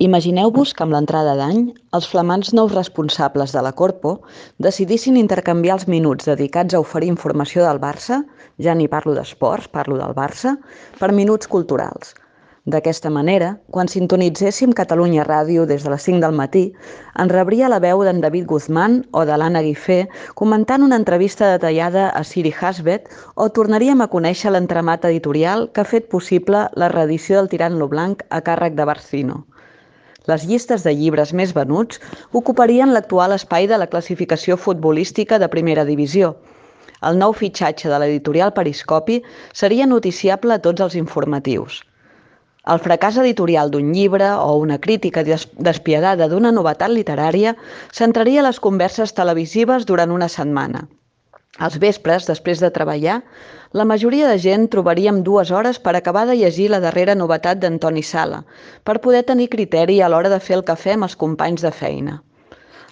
Imagineu-vos que amb l'entrada d'any, els flamants nous responsables de la Corpo decidissin intercanviar els minuts dedicats a oferir informació del Barça, ja ni parlo d'esports, parlo del Barça, per minuts culturals. D'aquesta manera, quan sintonitzéssim Catalunya Ràdio des de les 5 del matí, ens rebria la veu d'en David Guzmán o de l'Anna Guifé comentant una entrevista detallada a Siri Hasbet o tornaríem a conèixer l'entramat editorial que ha fet possible la reedició del Tirant lo Blanc a càrrec de Barcino. Les llistes de llibres més venuts ocuparien l'actual espai de la classificació futbolística de primera divisió. El nou fitxatge de l'editorial Periscopi seria noticiable a tots els informatius. El fracàs editorial d'un llibre o una crítica despiadada d'una novetat literària centraria les converses televisives durant una setmana. Als vespres, després de treballar, la majoria de gent trobaríem 2 hores per acabar de llegir la darrera novetat d'Antoni Sala, per poder tenir criteri a l'hora de fer el cafè amb els companys de feina.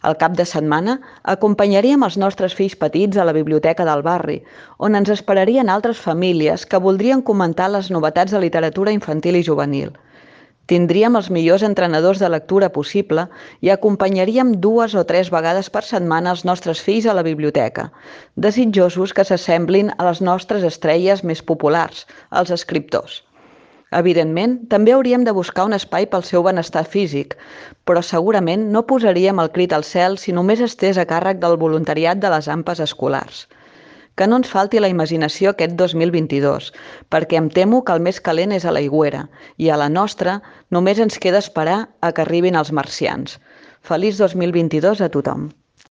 Al cap de setmana, acompanyaríem els nostres fills petits a la biblioteca del barri, on ens esperarien altres famílies que voldrien comentar les novetats de literatura infantil i juvenil. Tindríem els millors entrenadors de lectura possible i acompanyaríem 2 o 3 vegades per setmana els nostres fills a la biblioteca, desitjosos que s'assemblin a les nostres estrelles més populars, els escriptors. Evidentment, també hauríem de buscar un espai pel seu benestar físic, però segurament no posaríem el crit al cel si només estés a càrrec del voluntariat de les AMPAs escolars. Que no ens falti la imaginació aquest 2022, perquè em temo que el més calent és a l'aigüera i a la nostra només ens queda esperar a que arribin els marcians. Feliç 2022 a tothom!